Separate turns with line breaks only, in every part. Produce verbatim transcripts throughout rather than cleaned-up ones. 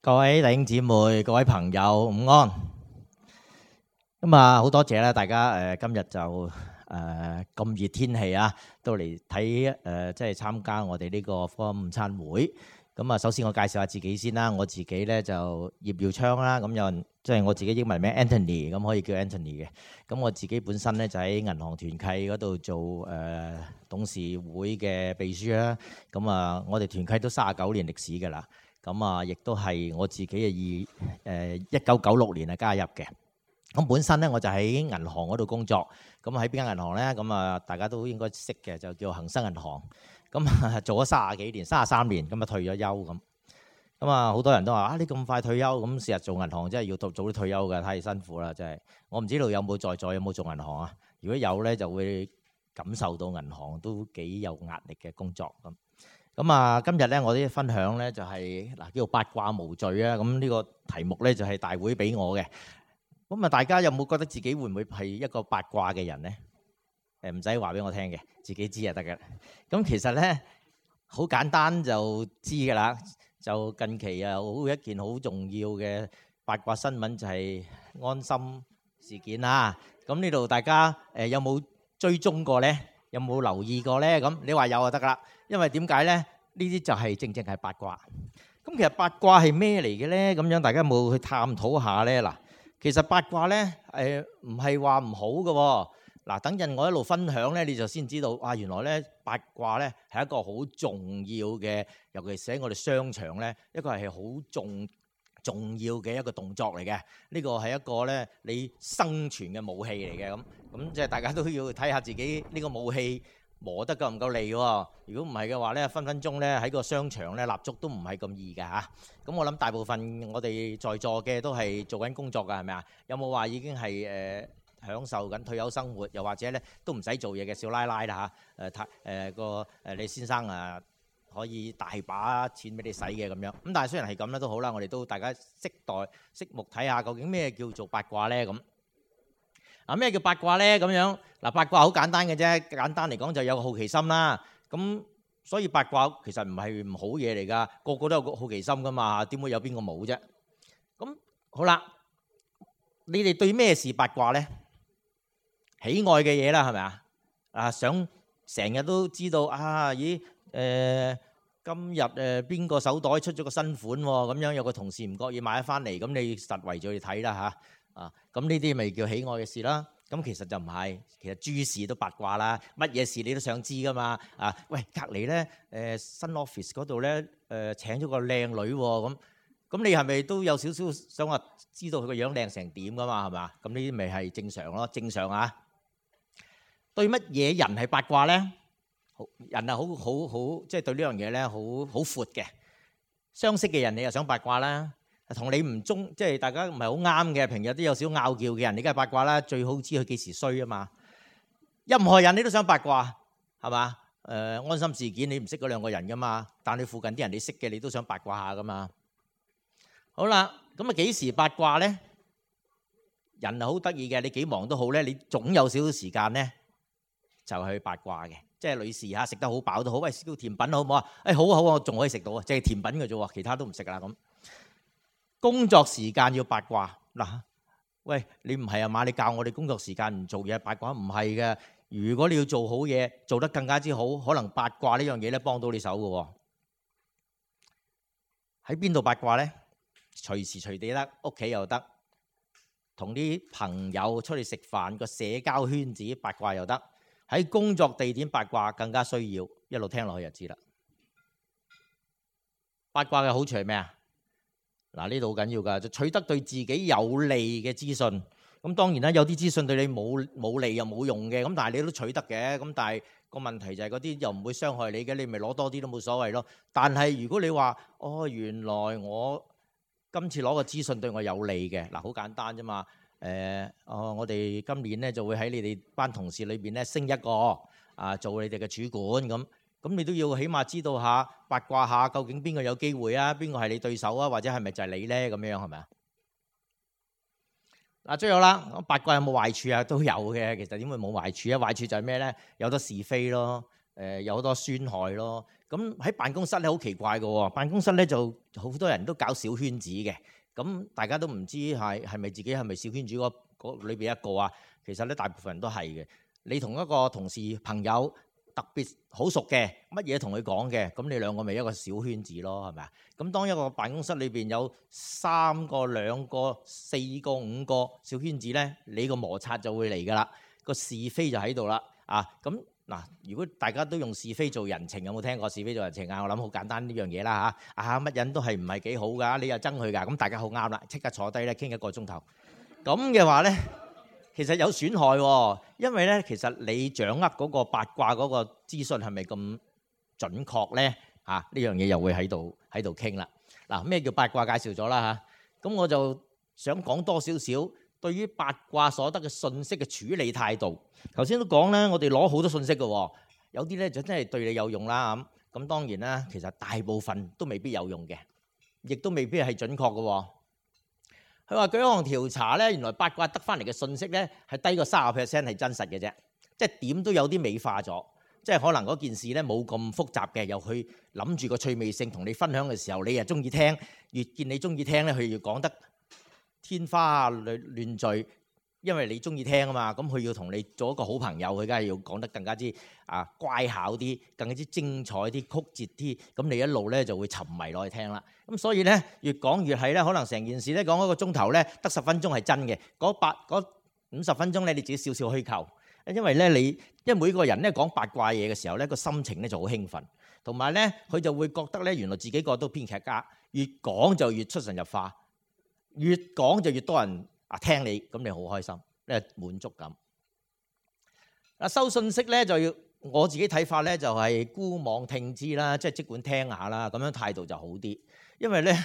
各位弟兄姊妹、各位朋友午安。咁啊，好多謝啦，大家誒今日就誒咁熱天氣啊，都嚟睇誒，即係參加我哋呢個福音午餐會。咁啊，首先我介紹下自己先啦。我自己咧就葉耀昌啦，咁有人即係我自己英文名 Anthony，咁可以叫 Anthony 嘅。咁我自己本身咧就喺銀行團契嗰度做誒董事會嘅秘書啦。咁啊，我哋團契都三十九年歷史㗎啦。咁啊，亦都係我自己嘅二誒一九九六年啊加入嘅。咁本身咧我就喺銀行嗰度工作。咁喺邊間銀行咧？咁啊，大家都應該識嘅，就叫恒生銀行。咁啊，做咗三十幾年，三十三年，咁啊退咗休咁。咁啊，好多人都話啊，你咁快退休，咁成日做銀行真係要早早啲退休㗎，太辛苦啦，真係。我唔知道有冇在座有冇做銀行啊？如果有咧，就會感受到銀行都幾有壓力嘅工作咁。咁啊，今日咧我啲分享咧就係嗱叫做八卦無罪啊。咁呢個題目咧就係大會俾我嘅。咁啊，大家有冇覺得自己會唔會係一個八卦嘅人咧？誒唔使話俾我聽嘅，自己知就得嘅。咁其實咧好簡單就知㗎啦。就近期啊，好一件好重要嘅八卦新聞就係安心事件啦。咁呢度大家誒有冇追蹤過咧？有冇留意過咧？咁你話有就得㗎啦。因為點解咧？呢啲就係正正係八卦。咁其實八卦係咩嚟嘅咧？咁樣大家有冇去探討下咧？嗱，其實八卦咧誒唔係話唔好嘅喎。嗱，等陣我一路分享咧，你就先知道啊，原來咧八卦咧係一個好重要嘅，尤其是喺我哋商場咧，一個係好重重要嘅一個動作嚟嘅。呢個係一個咧你生存嘅武器嚟嘅。咁咁即係大家都要睇下自己呢個武器磨得夠唔夠利喎。如果唔係嘅話咧，分分鐘咧喺個商場咧立足都唔係咁易㗎嚇。咁我諗大部分我哋在座嘅都係做緊工作㗎，係咪啊？有冇話已經係誒？呃享受緊退休生活，又或者咧都唔使做嘢嘅少奶奶啦嚇，誒太誒個誒你先生啊可以大把錢俾你使嘅咁樣。咁但係雖然係咁咧都好啦，我哋都大家識待識目睇下究竟咩叫做八卦咧咁。啊咩叫八卦咧咁樣？嗱，八卦好簡單嘅啫，簡單嚟講就有個好奇心啦。咁所以八卦其實唔係唔好嘢嚟㗎，個個都有個好奇心㗎嘛，點會有邊個冇啫？咁好啦，你哋對咩事八卦咧？喜愛嘅嘢啦，係咪啊？啊，想成日都知道啊？咦？誒、呃，今日誒邊個手袋出咗個新款喎？咁樣有個同事唔覺意買咗翻嚟，咁你實圍住去睇啦嚇。啊，咁呢啲咪叫喜愛嘅事啦？咁其實就唔係，其實諸事都八卦啦。乜嘢事你都想知噶嘛？啊，喂，隔離咧誒新 office 嗰度咧誒請咗個靚女喎，咁咁你係咪都有少少想話知道佢個樣靚成點噶嘛？係嘛？咁呢啲咪係正常咯，正常啊。對乜嘢人係八卦咧？人係好好好，即係對呢樣嘢咧，好好闊嘅。相識嘅人你又想八卦啦，同你唔中，即係大家唔係好啱嘅，平日都有少拗撬嘅人，你梗係八卦啦。最好知佢幾時衰啊嘛。任何人你都想八卦，係嘛？誒安心事件你唔識嗰兩個人噶嘛，但你附近啲人你識嘅，你都想八卦下噶嘛。好啦，咁啊幾時八卦咧？人係好得意嘅，你幾忙都好咧，你總有少少時間咧。就係去八卦嘅，即係女士嚇食得好飽都好，喂燒甜品好唔好啊？誒好啊好啊，我仲可以食到啊，即係甜品嘅啫喎，其他都唔食啦咁。工作時間要八卦嗱，喂你唔係啊嘛？你教我哋工作時間唔做嘢八卦唔係嘅。如果你要做好嘢，做得更加之好，可能八卦呢樣嘢咧幫到你手嘅喎。喺邊度八卦咧？隨時隨地得，屋企又得，同啲朋友出去食飯個社交圈子八卦又得。喺工作地點八卦更加需要，一路聽落去就知啦。八卦嘅好處係咩啊？嗱，呢度好緊要㗎，就取得對自己有利嘅資訊。咁當然啦，有啲資訊對你冇冇利又冇用嘅，咁但係你都取得嘅。咁但係個問題就係嗰啲又唔會傷害你嘅，你咪攞多啲都冇所謂咯。但係如果你話哦，原來我今次攞個資訊對我有利嘅，嗱好簡單啫嘛。誒、呃，哦，我哋今年咧就會喺你哋班同事裏邊咧升一個啊，做你哋嘅主管咁，咁你都要起碼知道下八卦下，究竟邊個有機會啊？邊個係你對手啊？或者係咪就係你咧？咁樣係咪啊？嗱，最後啦，八卦有冇壞處啊？都有嘅。其實點會冇壞處啊？壞處就係咩咧？有得是非咯。誒有好多損害咯。咁喺辦公室咧好奇怪嘅喎，辦公室咧就好多人都搞小圈子嘅。咁大家都唔知係係咪自己係咪小圈子嗰嗰裏邊一個啊？其實咧大部分人都係嘅。你同一個同事朋友特別好熟嘅，乜嘢同佢講嘅，咁你兩個咪一個小圈子咯，係咪啊？咁當一個辦公室裏邊有三個、兩個、四個、五個小圈子咧，你個摩擦就會嚟㗎啦，個是非就喺度啦。啊，咁嗱，如果大家都用是非做人情，有冇聽過是非做人情啊？我諗好簡單呢樣嘢啦嚇。啊，乜人都係唔係幾好㗎？你又憎佢㗎？咁大家好啱啦，即刻坐低咧傾一個鐘頭。咁嘅話咧，其實有損害喎，因為咧其實你掌握嗰個八卦嗰個資訊係咪咁準確咧？嚇，呢樣嘢又會喺度喺度傾啦。嗱，咩叫八卦介紹咗啦嚇，咁我就想講多少少對於八卦所得嘅信息嘅處理態度。頭先都講咧，我哋攞好多信息嘅，有啲咧就真係對你有用啦咁。咁當然啦，其實大部分都未必有用嘅，亦都未必係準確嘅。佢話舉一項調查咧，原來八卦得翻嚟嘅信息咧係低過三十 percent 係真實嘅啫，即係點都有啲美化咗，即係可能嗰件事咧冇咁複雜嘅，又去諗住個趣味性同你分享嘅時候，你又中意聽，越見你中意聽咧，佢越講得天花亂亂墜，因為你中意聽啊嘛，咁佢要同你做一個好朋友，佢梗係要講得更加之啊乖巧啲，更加之精彩啲、曲折啲，咁你一路咧就會沉迷落去聽啦。咁所以咧越講越係咧，可能成件事咧講一個鐘頭咧得十分鐘係真嘅，嗰八嗰五十分鐘咧你自己少少虛構，因為咧你因為每個人咧講八卦嘢嘅時候咧個心情咧就好興奮，同埋咧佢就會覺得咧原來自己個都編劇家，越講就越出神入化，越講就越多人啊聽你，咁你好開心，咧滿足感。啊收信息咧就要我自己睇法咧就係姑妄聽之啦，即係即管聽下啦，咁樣態度就好啲。因為咧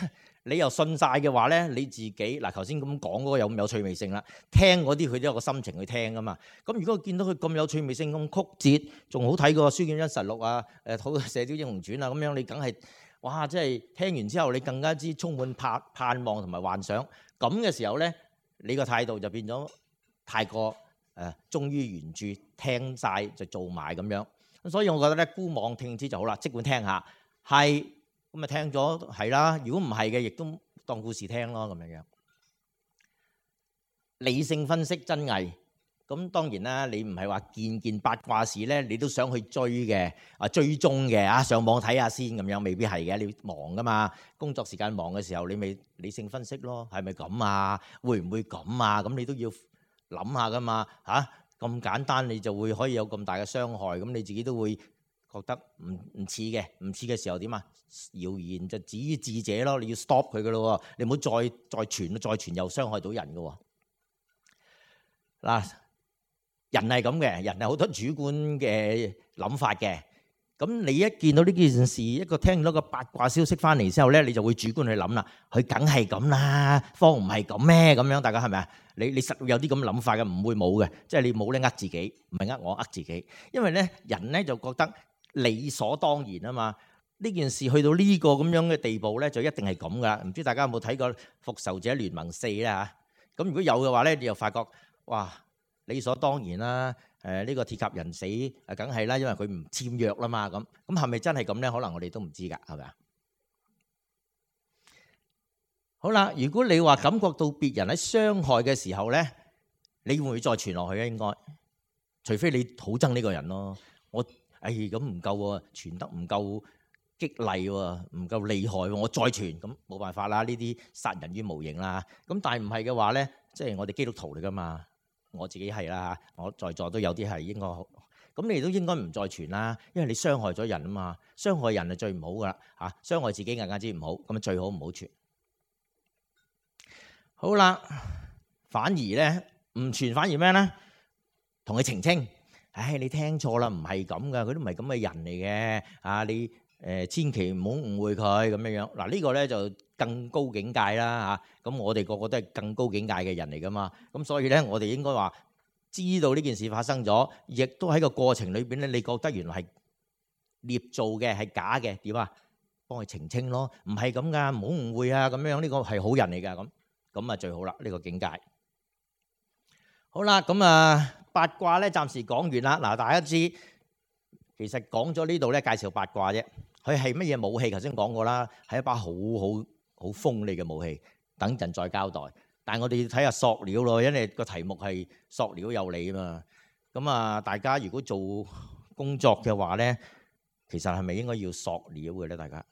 你又信晒嘅話咧，你自己嗱頭先咁講嗰個有咁有趣味性啦，聽嗰啲佢都有個心情去聽噶嘛。咁如果見到佢咁有趣味性咁曲折，仲好睇過《書劍恩實錄》啊，誒好《射雕英雄傳》啊，咁樣你梗係哇！即係聽完之後你更加之充滿盼盼望同埋幻想。咁嘅時候咧，你個態度就變咗太過誒忠於原著，聽晒就做埋咁樣。咁所以我覺得咧，姑妄聽之就好啦，即管聽下，係咁咪聽咗係啦。如果唔係嘅，亦都當故事聽咯，咁樣樣。理性分析真偽，咁當然啦，你唔係話件件八卦事咧，你都想去追嘅啊，追蹤嘅啊，上網睇下先咁樣，未必係嘅。你忙噶嘛，工作時間忙嘅時候，你咪理性分析咯，係咪咁啊？會唔會咁啊？咁你都要諗下噶嘛嚇。咁簡單你就會可以有咁大嘅傷害，咁你自己都會覺得唔唔似嘅，唔似嘅時候點啊？謠言就止於智者咯，你要 stop 佢噶咯，你唔好再再傳，再傳又傷害到人噶喎。嗱，人係咁嘅，人係好多主觀嘅諗法嘅。咁你一見到呢件事，一個聽到個八卦消息翻嚟之後咧，你就會主觀去諗啦。佢梗係咁啦，方唔係咁咩？咁樣大家係咪啊？你你實有啲咁諗法嘅，唔會冇嘅。即係你冇咧呃自己，唔係呃我呃自己。因為咧人咧就覺得理所當然啊嘛。呢件事去到呢個咁樣嘅地步咧，就一定係咁噶。唔知大家有冇睇過《復仇者聯盟四》咧嚇？咁如果有嘅話咧，你又發覺哇，理所當然啦。誒呢個鐵甲人死誒，梗係啦，因為佢唔簽約啦嘛。咁咁係咪真係咁咧？可能我哋都唔知㗎，係咪啊？好啦，如果你話感覺到別人喺傷害嘅時候咧，你會唔會再傳落去咧？應該，除非你好憎呢個人咯。我誒咁唔夠喎，傳得唔夠激勵喎，唔夠厲害喎，我再傳咁冇辦法啦。呢啲殺人於無形啦。咁但係唔係嘅話咧，即係我哋基督徒嚟㗎嘛。我自己係啦，我在座都有啲係應該好，咁你都應該唔再傳啦，因為你傷害咗人啊嘛，傷害人係最唔好噶啦嚇，傷害自己更加之唔好，咁最好唔好傳。好啦，反而咧唔傳，反而咩咧？同佢澄清，唉，你聽錯啦，唔係咁噶，佢都唔係咁嘅人嚟嘅啊！你誒千祈唔好誤會佢咁樣樣。嗱呢個咧就更高境界啦嚇，咁我哋個個都係更高境界嘅人嚟噶嘛，咁所以咧我哋應該話知道呢件事發生咗，亦都喺個過程裏邊咧，你覺得原來係捏造嘅係假嘅，點啊？幫佢澄清咯，唔係咁噶，唔好誤會啊，咁樣呢個係好人嚟噶，咁咁啊最好啦，呢個境界。好啦，咁啊八卦咧暫時講完啦，嗱大家知其實講咗呢度咧介紹八卦啫。佢係乜嘢武器？頭先講過啦，係一把好好好鋒利嘅武器。等陣再交代。但係我哋要睇下塑料咯，因為個題目係塑料有理啊嘛。咁啊，大家如果做工作嘅話咧，其實係咪應該要塑料嘅咧？大家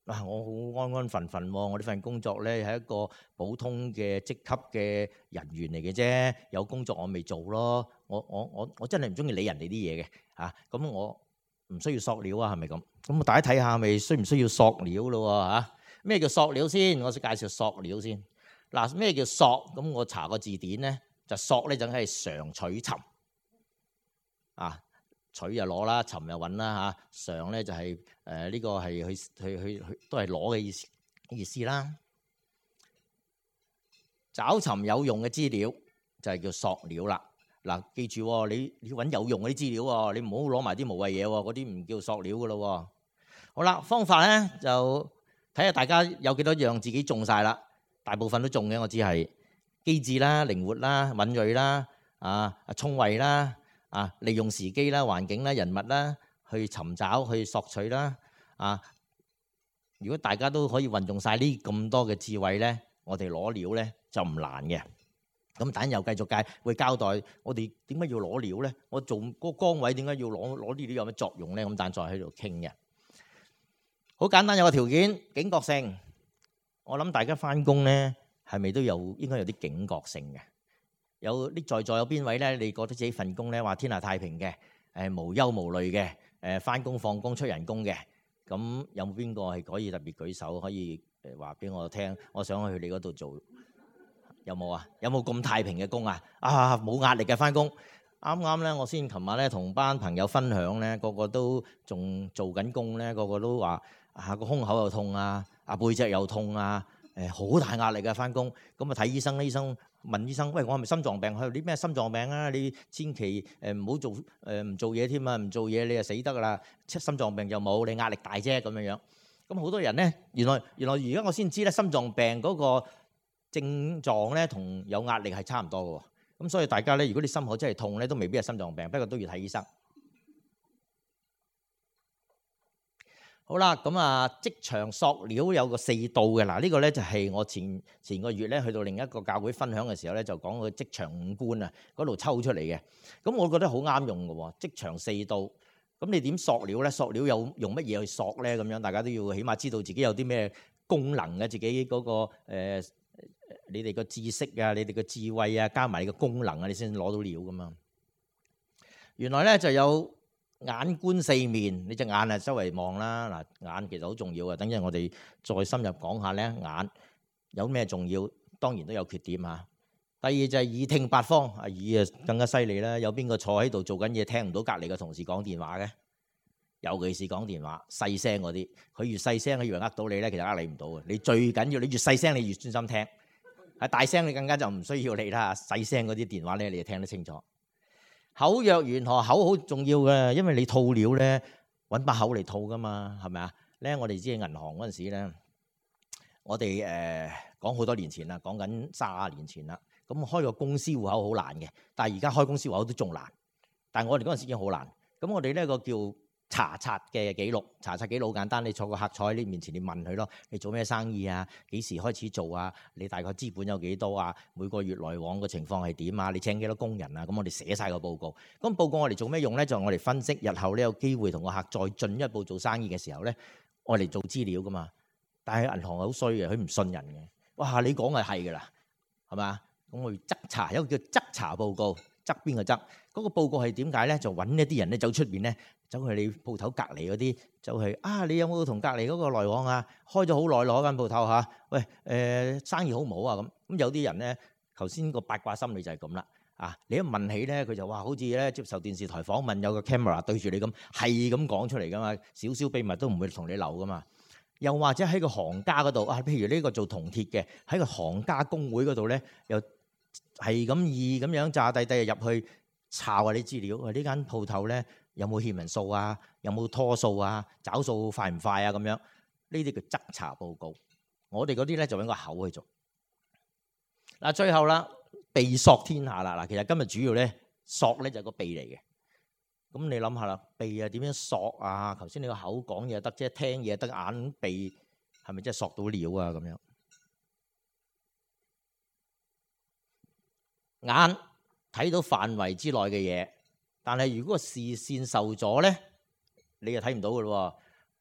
啊，我好安安分分喎，我呢份工作咧係一個普通嘅職級嘅人員嚟嘅啫，有工作我未做咯。我我我我真係唔中意理人哋啲嘢嘅嚇，咁我唔需要塑料啊，係咪咁？咁大家睇下，咪需唔需要塑料咯嚇？咩叫塑料先？我先介紹塑料先。嗱，咩叫塑？咁我查個字典咧，就塑咧就係常取沉啊。取就攞啦，尋就揾啦嚇。常咧就係誒呢個係去去去去都係攞嘅意思意思啦。找尋有用嘅資料就係叫塑料啦。嗱，記住喎，你你揾有用嗰啲資料喎，你唔好攞埋啲無謂嘢喎，嗰啲唔叫塑料噶咯。好啦，方法咧就睇下大家有幾多樣自己中晒啦。大部分都中嘅，我只係機智啦、靈活啦、敏鋭啦、啊聰慧啦。啊！利用時機啦、環境啦、人物啦，去尋找、去索取啦。啊！如果大家都可以運用晒呢咁多嘅智慧咧，我哋攞料咧就唔難嘅。咁等又繼續介會交代我哋點解要攞料咧？我做嗰個崗位點解要攞攞呢啲有咩作用咧？咁等再喺度傾嘅。好簡單，有個條件，警覺性。我諗大家返工咧係咪都有應該有啲警覺性嘅？有啲在座有邊位咧？你覺得自己份工咧話天下太平嘅，誒無憂無慮嘅，誒返工放工出人工嘅，咁有冇邊個係可以特別舉手，可以誒話俾我聽？我想去你嗰度做，有冇啊？有冇咁太平嘅工啊？啊，冇壓力嘅返工。啱啱咧，我先琴晚咧同班朋友分享咧，個個都仲做緊工咧，個個都話啊個胸口又痛啊，啊背脊又痛啊，誒好大壓力嘅返工。咁啊睇醫生，醫生。問醫生：喂，我係咪心臟病？佢話：你咩心臟病啊？你千祈誒唔好做誒唔做嘢添啊！唔做嘢你就死得㗎啦！心臟病就冇，你壓力大啫咁樣樣。咁好多人咧，原來原來而家我先知咧，心臟病嗰個症狀咧同有壓力係差唔多嘅喎。咁所以大家咧，如果你心口真係痛咧，都未必係心臟病，不過都要睇醫生。好啦，咁啊，職場塑料有個四度嘅。嗱，呢個咧就係我前前個月咧去到另一個教會分享嘅時候咧，就講個職場五官啊，嗰度抽出嚟嘅。咁我覺得好啱用嘅喎，職場四度。咁你點塑料咧？塑料有用乜嘢去塑咧？咁樣大家都要起碼知道自己有啲咩功能嘅，自己嗰個誒，你哋個知識啊，你哋個智慧啊，加埋你個功能啊，你先攞到料噶嘛。原來咧就有。眼觀四面，你隻眼啊周圍望啦。嗱，眼其實好重要嘅。等陣我哋再深入講下咧，眼有咩重要？當然都有缺點嚇。第二就係耳聽八方，啊耳啊更加犀利啦。有邊個坐喺度做緊嘢，聽唔到隔離嘅同事講電話嘅？尤其是講電話細聲嗰啲，佢越細聲，佢以為呃到你咧，其實呃你唔到嘅。你最緊要，你越細聲，你越專心聽。係大聲，你更加就唔需要你啦。細聲嗰啲電話咧，你就聽得清楚。口若懸河，口好重要嘅，因為你吐料咧，揾把口嚟吐噶嘛，係咪啊？咧我哋知銀行嗰陣時咧，我哋誒講好多年前啦，講緊卅年前啦。咁開個公司戶口好難嘅，但係而家開公司戶口都仲難。但係我哋嗰陣時已經好難。咁我哋呢個叫查冊嘅記錄，查冊記錄好簡單，你坐個客坐喺你面前，你問佢咯，你做咩生意啊？幾時開始做啊？你大概資本有幾多啊？每個月來往嘅情況係點啊？你請幾多工人啊？咁我哋寫晒個報告。咁報告我哋做咩用咧？就係我哋分析日後咧有機會同個客再進一步做生意嘅時候咧，我哋做資料噶嘛。但係銀行好衰嘅，佢唔信人嘅。哇！你講係係噶啦，係嘛？咁我哋側查，有一個叫側查報告，側邊個側嗰個報告係點解咧？就揾一啲人咧走出邊咧。走去你鋪頭隔離嗰啲，走去啊！你有冇同隔離嗰個來往啊？開咗好耐攞間鋪頭嚇，喂誒、呃、生意好唔好啊？咁咁有啲人咧，頭先個八卦心理就係咁啦啊！你一問起咧，佢就話好似咧接受電視台訪問，有個 camera 對住你咁，係咁講出嚟噶嘛，少少秘密都唔會同你留噶嘛。又或者喺個行家嗰度啊，譬如呢個做銅鐵嘅，喺個行家公會嗰度咧，又係咁易咁樣炸低低入去查下啲資料，話呢間鋪頭咧。有冇欠人數啊？有冇拖數啊？找數快唔快啊？咁樣呢啲叫側查報告。我哋嗰啲咧就揾個口去做。嗱，最後啦，鼻索天下啦。嗱，其實今日主要咧索咧就係個鼻嚟嘅。咁你諗下啦，鼻啊點樣索啊？頭先你個口講嘢得啫，聽嘢得，眼鼻係咪真係索到料啊？咁樣眼睇到範圍之內嘅嘢，但係如果個視線受阻咧，你就睇唔到噶咯。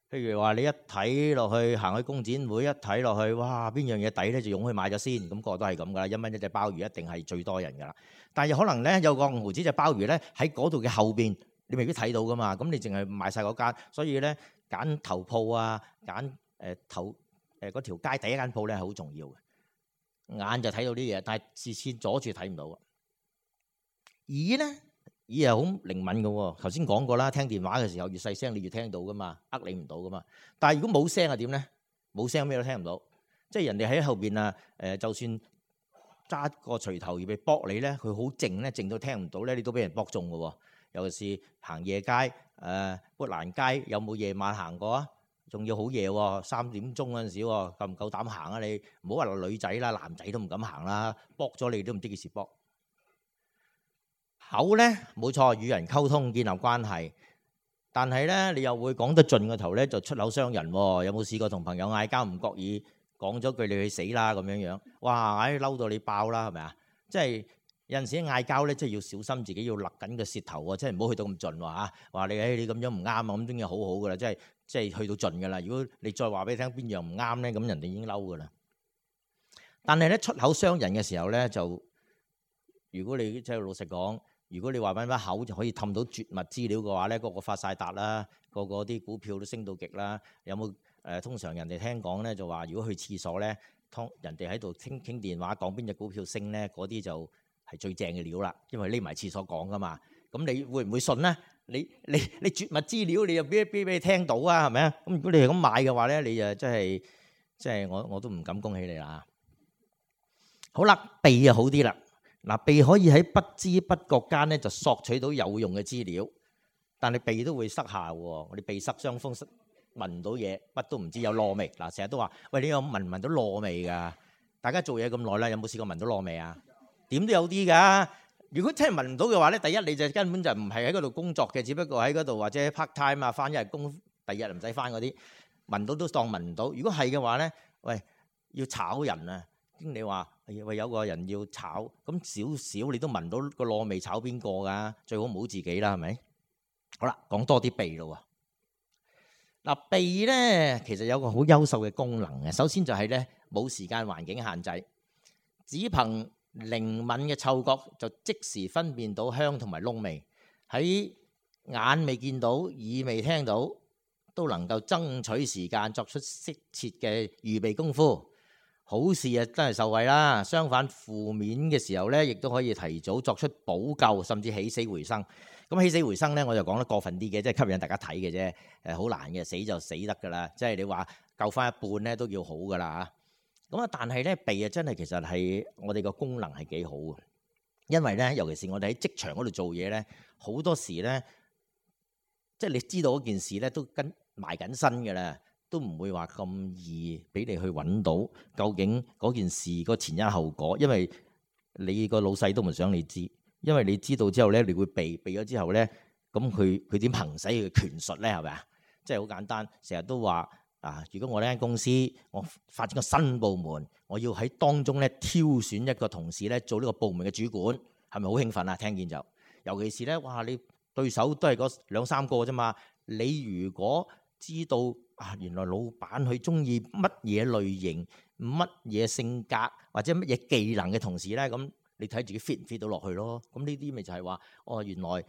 譬如話你一睇落去行去工展會，一睇落去，哇邊樣嘢抵咧，就湧去買咗先。咁個個都係咁噶啦，一蚊一隻鮑魚一定係最多人噶啦。但係可能咧有個五毫子隻鮑魚咧喺嗰度嘅後邊，你未必睇到噶嘛。咁你淨係買晒嗰間，所以咧揀頭鋪啊，揀誒頭誒嗰條街第一間鋪咧係好重要嘅。眼就睇到啲嘢，但係視線阻住睇唔到。耳咧，耳係好靈敏嘅喎。頭先講過啦，聽電話嘅時候越細聲，你越聽到噶嘛，呃你唔到噶嘛。但係如果冇聲係點咧？冇聲咩都聽唔到。即係人哋喺後邊啊，誒，就算揸個錘頭而被搏你咧，佢好靜咧，靜到聽唔到咧，你都俾人搏中嘅喎。尤其是行夜街，誒，砵蘭街有冇夜晚行過啊？仲要好夜喎，三點鐘嗰陣時喎，夠唔夠膽行啊？你唔好話女仔啦，男仔都唔敢行啦，搏咗你都唔知幾時搏。口咧冇錯，與人溝通建立關係，但係咧你又會講得盡個頭咧，就出口傷人喎。有冇試過同朋友嗌交唔覺意講咗句你去死啦咁樣樣？哇！唉嬲到你爆啦，係咪啊？即係有陣時嗌交咧，即係要小心自己要勒緊個舌頭喎，即係唔好去到咁盡喎嚇。話你誒你咁樣唔啱啊，咁已經好好噶啦，即係。即係去到盡㗎啦！如果你再話俾你聽邊樣唔啱咧，咁人哋已經嬲㗎啦。但係咧出口傷人嘅時候咧，就如果你即係老實講，如果你話揾把口就可以氹到絕密資料嘅話咧，個個發晒達啦，個個啲股票都升到極啦。有冇誒、呃？通常人哋聽講咧就話，如果去廁所咧，通人哋喺度傾傾電話講邊隻股票升咧，嗰啲就係最正嘅料啦，因為匿埋廁所講㗎嘛。咁你會唔會信咧？你你你絕密資料，你又俾俾俾你聽到啊？係咪啊？咁如果你係咁買嘅話咧，你就真係即係我我都唔敢恭喜你啦。好啦，鼻就好啲啦。嗱，鼻可以喺不知不覺間咧就索取到有用嘅資料，但係鼻都會塞下喎。我哋鼻塞傷風，聞唔到嘢，乜都唔知有燶味。嗱，成日都話喂，你有聞唔聞到燶味㗎？大家做嘢咁耐啦，有冇試過聞到燶味啊？點都有啲㗎。如果真係聞唔到嘅話咧，第一你就根本就唔係喺嗰度工作嘅，只不過喺嗰度或者 part time 啊，翻一日工，第二日唔使翻嗰啲，聞到都當聞唔到。如果係嘅話咧，喂，要炒人啊！經理話喂，有個人要炒，咁少少你都聞到個燶味，炒邊個㗎？最好唔好自己啦，係咪？好啦，講多啲鼻咯喎。嗱，鼻咧其實有個好優秀嘅功能嘅，首先就係咧冇時間環境限制，只憑靈敏嘅嗅覺就即時分辨到香同埋燶味，喺眼未見到、耳未聽到，都能夠爭取時間作出適切嘅預備功夫。好事啊，真係受惠啦。相反，負面嘅時候咧，亦都可以提早作出補救，甚至起死回生。咁起死回生咧，我就講得過分啲嘅，即係吸引大家睇嘅啫。誒，好難嘅，死就死得㗎啦。即係你話救翻一半咧，都叫好㗎啦嚇。咁啊，但係咧鼻啊，真係其實係我哋個功能係幾好嘅，因為咧，尤其是我哋喺職場嗰度做嘢咧，好多時咧，即係你知道嗰件事咧都跟埋緊身嘅啦，都唔會話咁易俾你去揾到究竟嗰件事個前因後果，因為你個老細都唔想你知，因為你知道之後咧，你會避避咗之後咧，咁佢佢點行使佢嘅權術咧？係咪啊？即係好簡單，成日都話。啊！如果我呢間公司我發展個新部門，我要喺當中咧挑選一個同事咧做呢個部門嘅主管，係咪好興奮啊？聽見就，尤其是咧，哇！你對手都係嗰兩三個啫嘛。你如果知道啊，原來老闆佢中意乜嘢類型、乜嘢性格或者乜嘢技能嘅同事咧，咁你睇自己 fit 唔 fit 到落去咯。咁呢啲咪就係話，哦，原來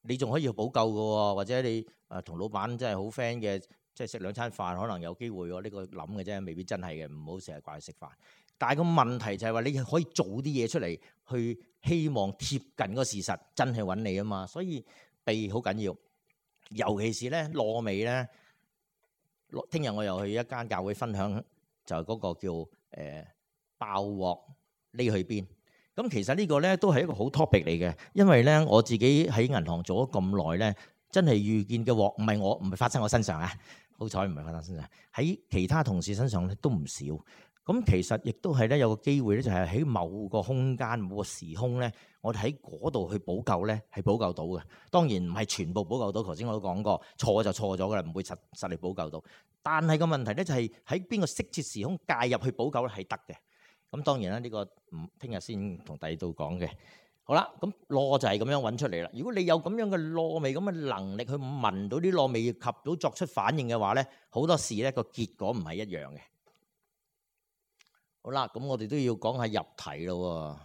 你仲可以去補救嘅喎，或者你誒同老闆真係好 friend 嘅。即係食兩餐飯，可能有機會喎。呢個諗嘅啫，未必真係嘅。唔好成日掛去食飯。但係個問題就係話，你可以做啲嘢出嚟，去希望貼近個事實，真係揾你啊嘛。所以鼻好緊要，尤其是咧燶味咧。聽日我又去一間教會分享，就係嗰個叫誒、呃、爆鑊匿去邊。咁其實呢個咧都係一個好 topic 嚟嘅，因為咧我自己喺銀行做咗咁耐咧，真係遇見嘅鑊唔係我唔係發生我身上啊。好彩唔係發生身上，喺其他同事身上咧都唔少。咁其實亦都係咧有個機會咧，就係喺某個空間、某個時空咧，我哋喺嗰度去補救咧，係補救到嘅。當然唔係全部補救到，頭先我都講過，錯就錯咗噶啦，唔會實實力補救到。但係個問題咧就係喺邊個適切時空介入去補救咧係得嘅。咁當然啦，呢個唔聽日先同第二度講嘅。好啦，咁螺就係咁樣揾出嚟啦。如果你有咁樣嘅螺味咁嘅能力去聞到啲螺味及到作出反應嘅話咧，好多時咧個結果唔係一樣嘅。好啦，咁我哋都要講下入題咯。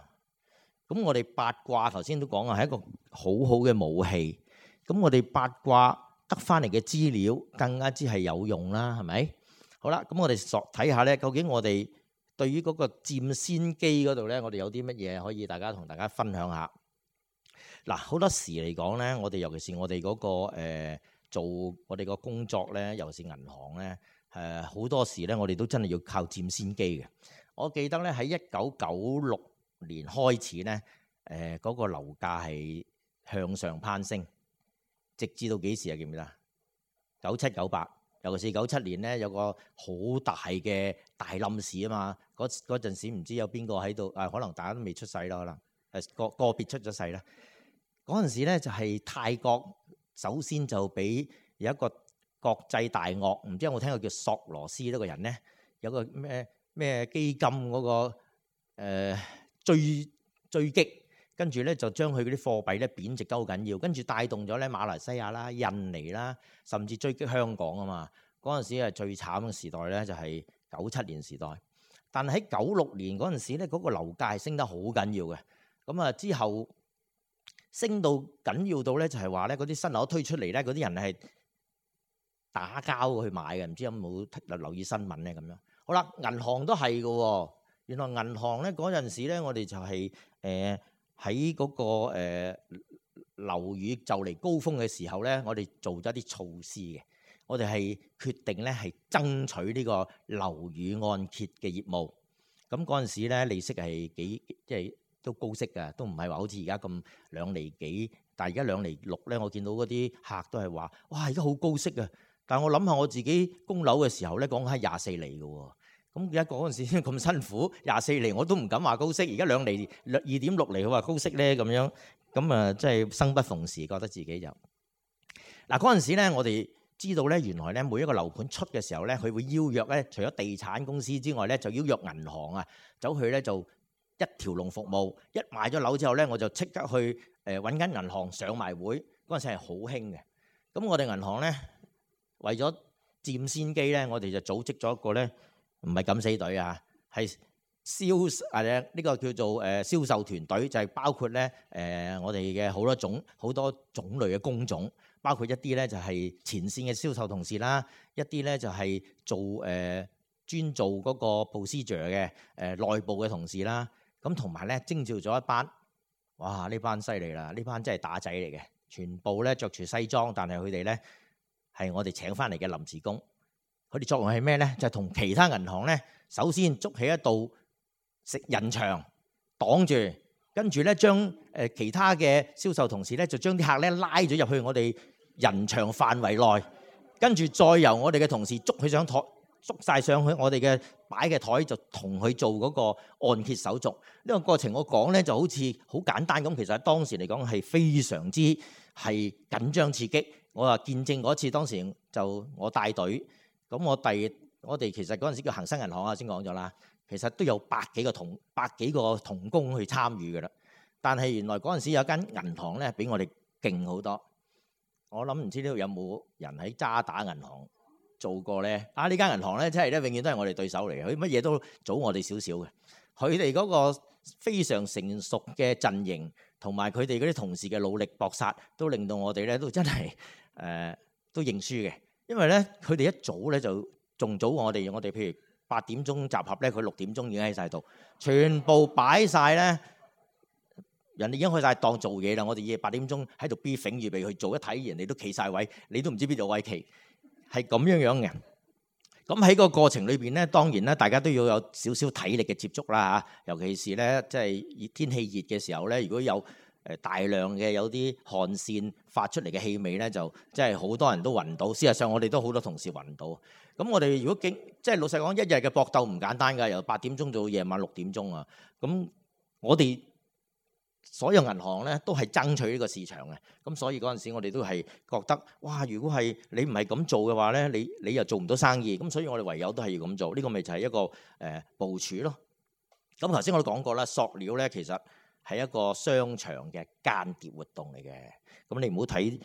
咁我哋八卦頭先都講啊，係一個好好嘅武器。咁我哋八卦得翻嚟嘅資料更加之係有用啦，係咪？好啦，咁我哋索睇下咧，究竟我哋對於嗰個佔先機嗰度咧，我哋有啲乜嘢可以大家同大家分享下？嗱，好多時嚟講咧，我哋尤其是我哋嗰個誒做我哋個工作咧，尤其是銀行咧，誒好多時咧，我哋都真係要靠佔先機嘅。我記得咧喺一九九六年開始咧，誒嗰個樓價係向上攀升，直至到幾時啊？記唔記得？九七九八，尤其是九七年咧，有個好大嘅大冧市啊嘛。嗰嗰陣時唔知有邊個喺度啊？可能大家都未出世啦，可能誒個個別出咗世啦。嗰陣時咧就係泰國首先就俾有一個國際大鱷，唔知有冇聽過叫索羅斯呢個人咧？有個咩咩基金嗰、那個誒、呃、追追擊，跟住咧就將佢嗰啲貨幣咧貶值得好緊要，跟住帶動咗咧馬來西亞啦、印尼啦，甚至追擊香港啊嘛。嗰陣時係最慘嘅時代咧，就係九七年時代。但係喺九六年嗰陣時咧，嗰、那個樓價係升得好緊要嘅。咁啊之後升到緊要到咧，就係話咧嗰啲新樓推出嚟咧，嗰啲人係打交去買嘅。唔知有冇留意新聞咧咁樣？好啦，銀行都係嘅。原來銀行咧嗰陣時咧，我哋就係誒喺嗰個誒樓宇就嚟高峰嘅時候咧，我哋做咗啲措施嘅。我哋係決定咧係爭取呢個樓宇按揭嘅業務。咁嗰陣時咧利息係幾即係都高息㗎，都唔係話好似而家咁兩厘幾。但係而家兩厘六咧，我見到嗰啲客都係話：哇，而家好高息啊！但係我諗下我自己供樓嘅時候咧，講緊係廿四厘嘅喎。咁而家嗰陣時咁辛苦，廿四厘我都唔敢話高息。而家兩厘二點六厘，佢話高息咧咁樣，咁啊即係生不逢時，覺得自己就嗱嗰陣時咧，我哋知道咧，原來咧每一個樓盤出嘅時候咧，佢會邀約咧，除咗地產公司之外咧，就邀約銀行啊，走去咧就一條龍服務。一買咗樓之後咧，我就即刻去誒揾間銀行上埋會。嗰陣時係好興嘅。咁我哋銀行咧為咗佔先機咧，我哋就組織咗一個咧。唔係敢死隊啊，係銷啊呢個叫做誒銷售團隊，就係包括咧誒我哋嘅好多種好多種類嘅工種，包括一啲咧就係前線嘅銷售同事啦，一啲咧就係做誒專做嗰個 procedure 嘅誒內部嘅同事啦，咁同埋咧徵召咗一班，哇呢班犀利啦，呢班真係打仔嚟嘅，全部咧着住西裝，但係佢哋咧係我哋請翻嚟嘅臨時工。佢哋作用係咩咧？就係、是、同其他銀行咧，首先築起一道食人牆擋住，跟住咧將誒其他嘅銷售同事咧就將啲客咧拉咗入去我哋人牆範圍內，跟住再由我哋嘅同事捉佢上台，捉晒上去我哋嘅擺嘅台，就同佢做嗰個按揭手續。呢、這個過程我講咧就好似好簡單咁，其實喺當時嚟講係非常之係緊張刺激。我話見證嗰次當時就我帶隊。咁我第我哋其實嗰陣時叫恒生銀行啊，先講咗啦。其實都有百幾個同百幾個同工去參與嘅啦。但係原來嗰陣時有間銀行咧，比我哋勁好多。我諗唔知呢度有冇人喺渣打銀行做過咧？啊，呢間銀行咧，真係咧，永遠都係我哋對手嚟嘅。佢乜嘢都早我哋少少嘅。佢哋嗰個非常成熟嘅陣營，同埋佢哋嗰啲同事嘅努力搏殺，都令到我哋咧都真係誒、呃、都認輸嘅。因為咧，佢哋一早咧就仲早我哋，我哋譬如八點鐘集合咧，佢六點鐘已經喺晒度，全部擺晒咧。人哋已經去晒當做嘢啦，我哋夜八點鐘喺度 briefing 預備去做，一睇人哋都企晒位，你都唔知邊度位企，係咁樣樣嘅。咁喺個過程裏邊咧，當然咧，大家都要有少少體力嘅接觸啦嚇，尤其是咧，即係熱天氣熱嘅時候咧，如果有誒大量嘅有啲汗腺發出嚟嘅氣味咧，就即係好多人都暈到。事實上，我哋都好多同事暈到。咁我哋如果經即係老實講，一日嘅搏鬥唔簡單㗎，由八點鐘到夜晚六點鐘啊。咁我哋所有銀行咧都係爭取呢個市場嘅。咁所以嗰陣時我哋都係覺得，哇！如果係你唔係咁做嘅話咧，你你又做唔到生意。咁所以我哋唯有都係要咁做。呢個咪就係一個誒部署咯。咁頭先我都講過啦，塑料咧其實係一個商場嘅間諜活動嚟嘅。咁你唔好睇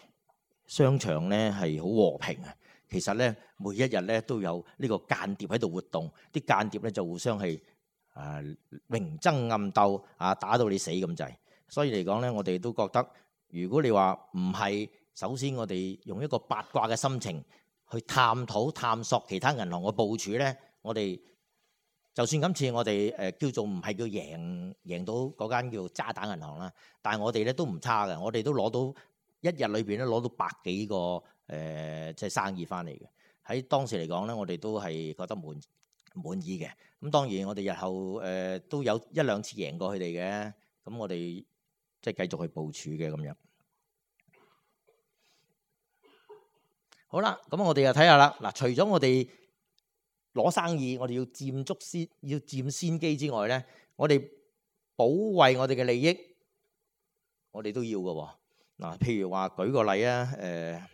商場咧係好和平啊。其實咧，每一日咧都有呢個間諜喺度活動，啲間諜咧就互相係誒明爭暗鬥啊，打到你死咁滯。所以嚟講咧，我哋都覺得，如果你話唔係，首先我哋用一個八卦嘅心情去探討探索其他銀行嘅部署咧，我哋就算今次我哋誒叫做唔係叫贏贏到嗰間叫渣打銀行啦，但係我哋咧都唔差嘅，我哋都攞到一日裏邊咧攞到百幾個。誒即係生意翻嚟嘅，喺當時嚟講咧，我哋都係覺得滿滿意嘅。咁當然我哋日後誒、呃、都有一兩次贏過佢哋嘅，咁我哋即係繼續去部署嘅咁樣。好啦，咁我哋又睇下啦。嗱，除咗我哋攞生意，我哋要佔足先，要佔先機之外咧，我哋保衞我哋嘅利益，我哋都要嘅喎。嗱，譬如話舉個例啊，誒、呃。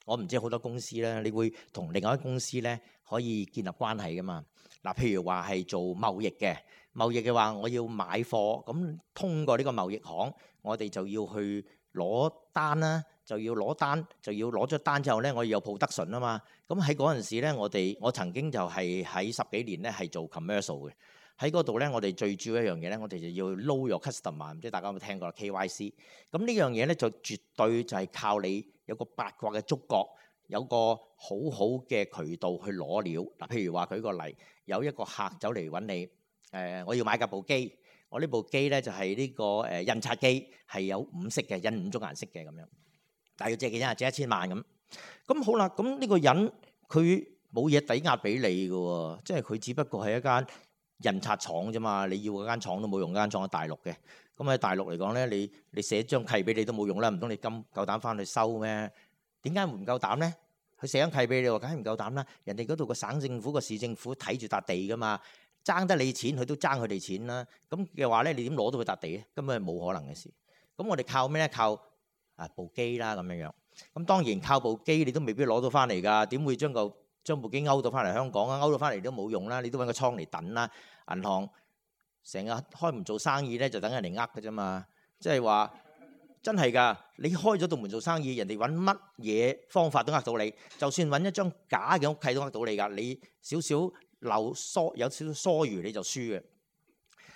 我唔知好多公司咧，你會同另外一間公司咧可以建立關係噶嘛？嗱，譬如話係做貿易嘅，貿易嘅話，我要買貨，咁通過呢個貿易行，我哋就要去攞單啦，就要攞單，就要攞咗單之後咧，我要有 production啊嘛。咁喺嗰陣時咧，我哋我曾經就係喺十幾年咧係做 commercial 嘅，喺嗰度咧，我哋最主要一樣嘢咧，我哋就要 know your customer，唔知大家有冇聽過 K Y C。咁呢樣嘢咧就絕對就係靠你有個八卦嘅觸覺，有個好好嘅渠道去攞料。嗱，譬如話舉個例，有一個客走嚟揾你，誒，我要買架部機，我呢部機咧就係呢個誒印刷機，係有五色嘅，印五種顏色嘅咁樣，但係要借幾錢啊？借一千萬咁。咁好啦，咁呢個人佢冇嘢抵押俾你嘅喎，即係佢只不過係一間印刷廠啫嘛，你要嗰間廠都冇用，嗰間廠喺大陸嘅。咁喺大陸嚟講咧，你你寫張契俾你都冇用啦，唔通你咁夠膽翻去收咩？點解唔夠膽咧？佢寫張契俾你，梗係唔夠膽啦。人哋嗰度個省政府個市政府睇住笪地噶嘛，爭得你錢，佢都爭佢哋錢啦。咁嘅話咧，你點攞到佢笪地咧？根本係冇可能嘅事。咁我哋靠咩咧？靠啊部機啦咁樣樣。咁當然靠部機你都未必攞到翻嚟㗎。點會將個將部機勾到翻嚟香港啊？勾到翻嚟都冇用啦，你都揾個倉嚟等啦。銀行成日開門做生意咧，就等人嚟呃嘅啫嘛。即係話真係㗎，你開咗道門做生意，人哋揾乜嘢方法都呃到你。就算揾一張假嘅屋契都呃到你㗎。你少少漏疏有少少疏餘你就輸嘅。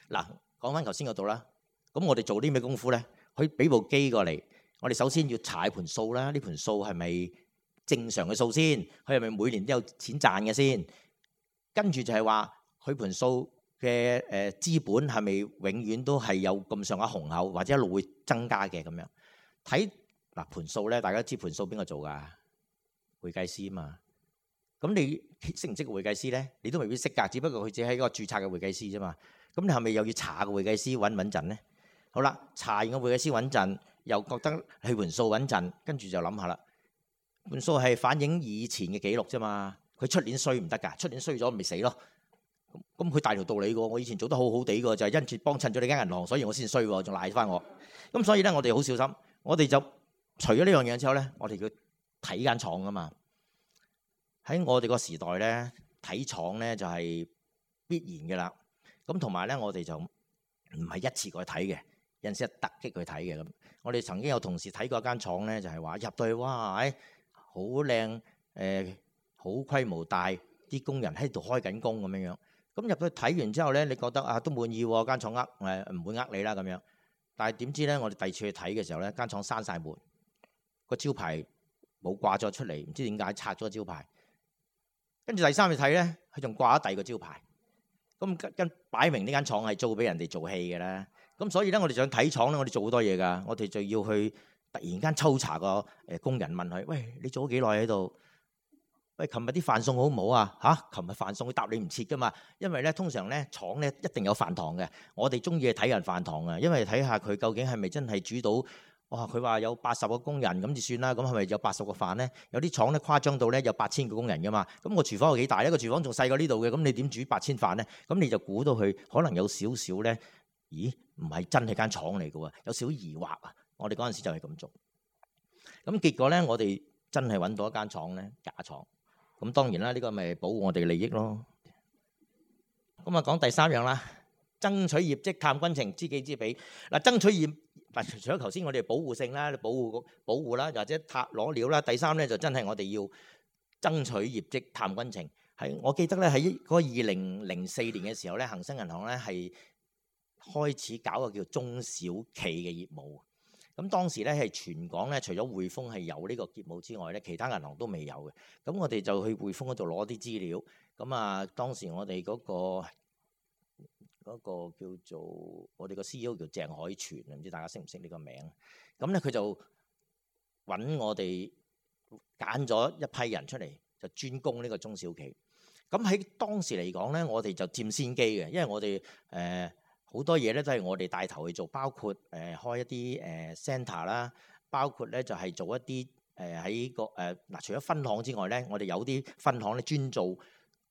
嗱，講翻頭先嗰度啦。咁我哋做啲咩功夫咧？佢俾部機過嚟，我哋首先要查盤數啦。呢盤數係咪正常嘅數先？佢係咪每年都有錢賺嘅先？跟住就係話佢盤數嘅誒資本係咪永遠都係有咁上下雄厚，或者一路會增加嘅咁樣？睇嗱盤數咧，大家知盤數邊個做㗎？會計師啊嘛。咁你識唔識個會計師咧？你都未必識㗎，只不過佢只係一個註冊嘅會計師啫嘛。咁你係咪又要查個會計師穩唔穩陣咧？好啦，查完個會計師穩陣，又覺得佢盤數穩陣，跟住就諗下啦。盤數係反映以前嘅記錄啫嘛。佢出年衰唔得㗎，出年衰咗咪死咯。咁佢大條道理嘅，我以前做得好好地嘅，就係因住幫襯咗你間銀行，所以我先衰喎，仲賴翻我。咁所以咧，我哋好小心。我哋就除咗呢樣嘢之後咧，我哋要睇間廠啊嘛。喺我哋個時代咧，睇廠咧就係必然嘅啦。咁同埋咧，我哋就唔係一次過去睇嘅，有陣時係突擊去睇嘅咁。我哋曾經有同事睇過一間廠咧，就係話入到去，哇，誒好靚，誒好規模大，啲工人喺度開緊工咁樣樣。咁入去睇完之後咧，你覺得啊都滿意喎，間廠呃誒唔會呃你啦咁樣。但係點知咧，我哋第二次去睇嘅時候咧，間廠閂晒門，個招牌冇掛咗出嚟，唔知點解拆咗個招牌。跟住第三次睇咧，佢仲掛咗第二個招牌。咁跟擺明呢間廠係租俾人哋做戲嘅啦。咁所以咧，我哋想睇廠咧，我哋做好多嘢㗎。我哋就要去突然間抽查個誒工人，問佢：喂，你做咗幾耐喺度？喂，琴日啲飯餸好唔好啊？嚇，琴日飯餸佢答你唔切㗎嘛。因為咧，通常咧廠咧一定有飯堂嘅。我哋中意去睇人飯堂啊，因為睇下佢究竟係咪真係煮到哇！佢話有八十個工人咁就算啦，咁係咪有八十個飯咧？有啲廠咧誇張到咧有八千個工人噶嘛，咁個廚房有幾大咧？個廚房仲細過呢度嘅，咁你點煮八千飯咧？咁你就估到佢可能有少少咧，咦？唔係真係間廠嚟嘅喎，有少少疑惑啊！我哋嗰陣時就係咁做，咁結果咧，我哋真係揾到一間廠咧，假廠。咁當然啦，呢個咪保護我哋嘅利益咯。咁啊，講第三樣啦，爭取業績探軍情，知己知彼。嗱，爭取業嗱，除咗頭先我哋保護性啦、保護保護啦，或者探攞料啦，第三咧就真係我哋要爭取業績探軍情。係我記得咧喺嗰二零零四年嘅時候咧，恒生銀行咧係開始搞個叫中小企嘅業務。咁當時咧係全港咧，除咗匯豐係有呢個業務之外咧，其他銀行都未有嘅。咁我哋就去匯豐嗰度攞啲資料。咁啊，當時我哋嗰個嗰個叫做我哋個 C E O 叫鄭海泉，唔知大家識唔識呢個名？咁咧佢就揾我哋揀咗一批人出嚟，就專攻呢個中小企。咁喺當時嚟講咧，我哋就佔先機嘅，因為我哋誒好多嘢咧都係我哋帶頭去做，包括誒、呃、開一啲誒 centre 啦，包括咧就係、是、做一啲誒喺個誒嗱、呃，除咗分行之外咧，我哋有啲分行咧專做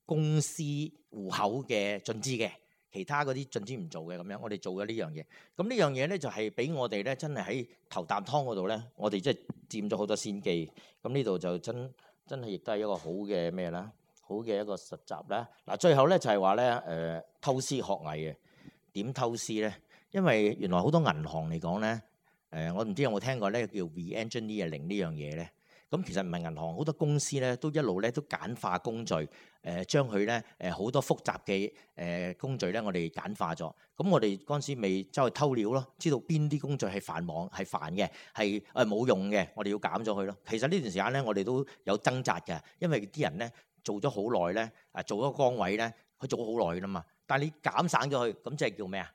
公司戶口嘅進資嘅，其他嗰啲進資唔做嘅咁樣，我哋做咗呢樣嘢。咁呢樣嘢咧就係俾我哋咧真係喺頭啖湯嗰度咧，我哋即係佔咗好多先機。咁呢度就真真係亦都係一個好嘅咩啦，好嘅一個實習啦。嗱，最後咧就係話咧誒偷師學藝嘅。點偷師咧？因為原來好多銀行嚟講咧，誒我唔知有冇聽過咧叫 re-engineering 呢樣嘢咧。咁其實唔係銀行，好多公司咧都一路咧都簡化工序，誒將佢咧誒好多複雜嘅誒工序咧，我哋簡化咗。咁我哋嗰陣時未走去偷料咯，知道邊啲工序係繁忙、係煩嘅、係誒冇用嘅，我哋要減咗佢咯。其實呢段時間咧，我哋都有掙扎嘅，因為啲人咧做咗好耐咧，誒做咗個崗位咧，佢做咗好耐㗎啦嘛。但係你減省咗佢，咁即係叫咩啊？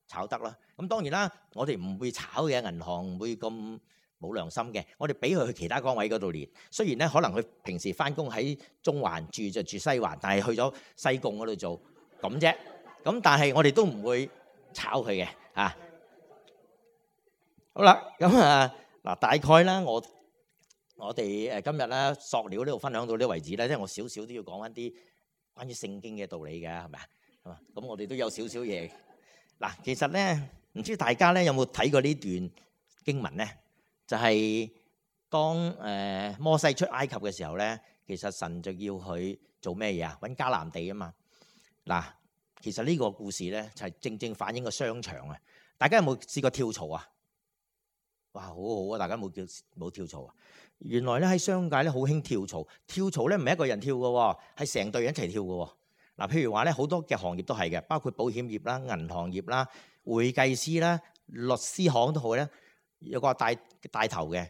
炒得啦。咁當然啦，我哋唔會炒嘅，銀行唔會咁冇良心嘅。我哋俾佢去其他崗位嗰度練。雖然咧，可能佢平時翻工喺中環住就住西環，但係去咗西貢嗰度做咁啫。咁但係我哋都唔會炒佢嘅嚇。好啦，咁啊嗱，大概啦，我我哋誒今日咧塑料呢度分享到呢為止咧，即係我少少都要講翻啲關於聖經嘅道理嘅，係咪啊？咁我哋都有少少嘢嗱，其實咧唔知大家咧有冇睇過呢段經文咧？就係、是、當誒、呃、摩西出埃及嘅時候咧，其實神就要佢做咩嘢啊？揾迦南地啊嘛。嗱，其實呢個故事咧就係、是、正正反映個商場啊！大家有冇試過跳槽啊？哇，好好啊！大家冇叫冇跳槽啊？原來咧喺商界咧好興跳槽，跳槽咧唔係一個人跳嘅，係成隊人一齊跳嘅。嗱，譬如話咧，好多嘅行業都係嘅，包括保險業啦、銀行業啦、會計師啦、律師行都好咧，有個帶帶頭嘅，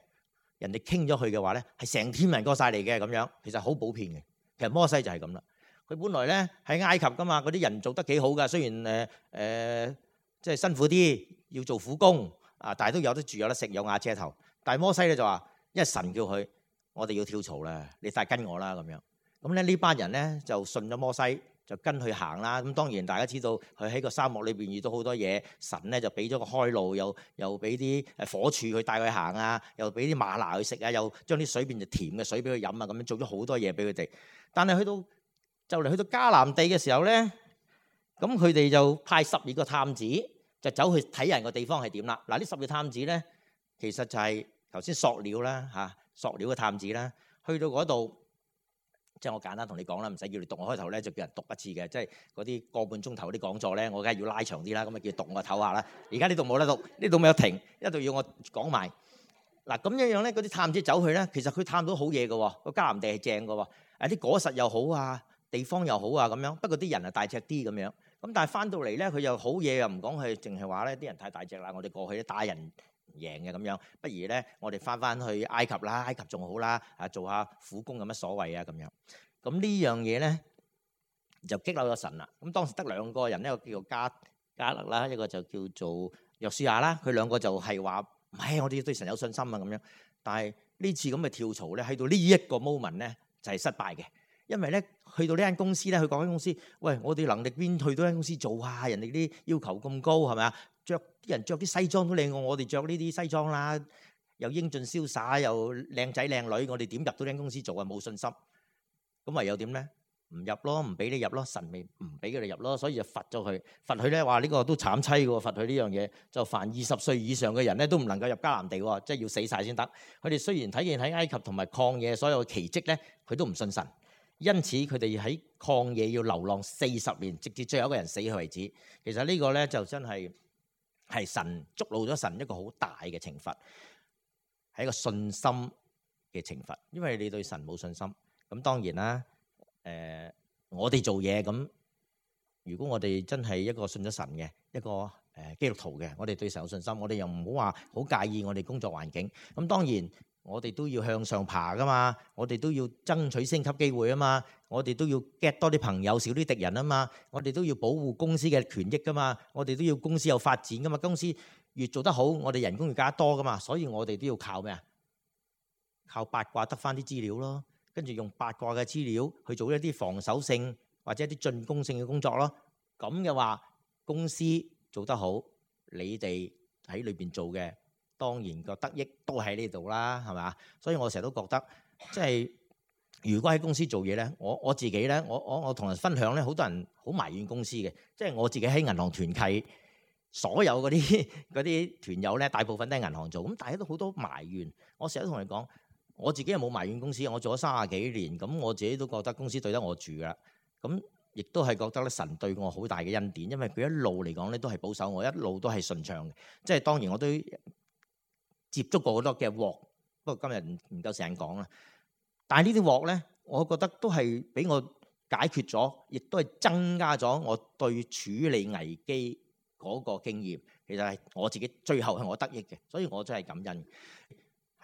人哋傾咗佢嘅話咧，係成天人過晒嚟嘅咁樣，其實好普遍嘅。其實摩西就係咁啦，佢本來咧喺埃及噶嘛，嗰啲人做得幾好噶，雖然誒誒即係辛苦啲，要做苦工啊，但係都有得住、有得食、有瓦遮頭。但係摩西咧就話，因為神叫佢，我哋要跳槽啦，你快跟我啦咁樣。咁咧呢班人咧就信咗摩西。就跟佢行啦，咁當然大家知道佢喺個沙漠裏邊遇到好多嘢，神咧就俾咗個開路，又又俾啲誒火柱佢帶佢行啊，又俾啲嗎哪佢食啊，又將啲水變成甜嘅水俾佢飲啊，咁樣做咗好多嘢俾佢哋。但係去到就嚟去到迦南地嘅時候咧，咁佢哋就派十二個探子就走去睇人個地方係點啦。嗱，呢十二個探子咧，其實就係頭先塑料啦嚇，塑料嘅探子啦，去到嗰度。即係我簡單同你講啦，唔使叫你讀。我開頭咧就叫人讀一次嘅，即係嗰啲個半鐘頭啲講座咧，我梗係要拉長啲啦。咁啊叫讀我唞下啦。而家呢度冇得讀，呢度咪有停，一度要我講埋。嗱咁樣樣咧，嗰啲探子走去咧，其實佢探到好嘢嘅喎，個迦南地係正嘅喎，誒啲果實又好啊，地方又好啊咁樣。不過啲人係大隻啲咁樣。咁但係翻到嚟咧，佢又好嘢又唔講，佢淨係話咧啲人太大隻啦，我哋過去咧打人贏嘅咁樣，不如咧我哋翻翻去埃及啦，埃及仲好啦，啊做下苦工有乜所謂啊咁樣。咁呢樣嘢咧就激嬲咗神啦。咁當時得兩個人，一個叫做加加勒啦，一個就叫做約書亞啦。佢兩個就係話唔係，我哋對神有信心啊咁樣。但係呢次咁嘅跳槽咧，去到呢一個 moment 咧就係失敗嘅，因為咧去到呢間公司咧，去嗰間公司，喂，我哋能力邊去到間公司做啊？人哋啲要求咁高係咪啊？著啲人著啲西裝都靚過我哋著呢啲西裝啦。又英俊瀟灑，又靚仔靚女，我哋點入到間公司做啊？冇信心，咁唯有點咧？唔入咯，唔俾你入咯，神咪唔俾佢哋入咯，所以就罰咗佢。罰佢咧，話呢個都慘凄嘅喎，罰佢呢樣嘢就凡二十歲以上嘅人咧都唔能夠入迦南地喎，即係要死晒先得。佢哋雖然睇見喺埃及同埋曠野所有嘅奇蹟咧，佢都唔信神，因此佢哋喺曠野要流浪四十年，直至最後一個人死去為止。其實呢個咧就真係係神觸怒咗神一個好大嘅懲罰，係一個信心嘅懲罰，因為你對神冇信心。咁當然啦。誒、呃，我哋做嘢咁，如果我哋真係一個信咗神嘅一個誒、呃、基督徒嘅，我哋對神有信心，我哋又唔好話好介意我哋工作環境。咁當然，我哋都要向上爬噶嘛，我哋都要爭取升級機會啊嘛，我哋都要 get 多啲朋友，少啲敵人啊嘛，我哋都要保護公司嘅權益噶嘛，我哋都要公司有發展噶嘛，公司越做得好，我哋人工越加多噶嘛，所以我哋都要靠咩啊？靠八卦得翻啲資料咯。跟住用八卦嘅資料去做一啲防守性或者一啲進攻性嘅工作咯。咁嘅話，公司做得好，你哋喺裏邊做嘅，當然個得益都喺呢度啦，係嘛？所以我成日都覺得，即係如果喺公司做嘢咧，我我自己咧，我我我同人分享咧，好多人好埋怨公司嘅，即係我自己喺銀行團契，所有嗰啲嗰啲團友咧，大部分都係銀行做，咁大家都好多埋怨。我成日都同你講。我自己又冇埋怨公司，我做咗三十幾年，咁我自己都覺得公司對得我住噶，咁亦都係覺得咧神對我好大嘅恩典，因為佢一路嚟講咧都係保守我，一路都係順暢嘅。即係當然我都接觸過好多嘅鑊，不過今日唔唔夠時間講啦。但係呢啲鑊咧，我覺得都係俾我解決咗，亦都係增加咗我對處理危機嗰個經驗。其實係我自己最後係我得益嘅，所以我真係感恩。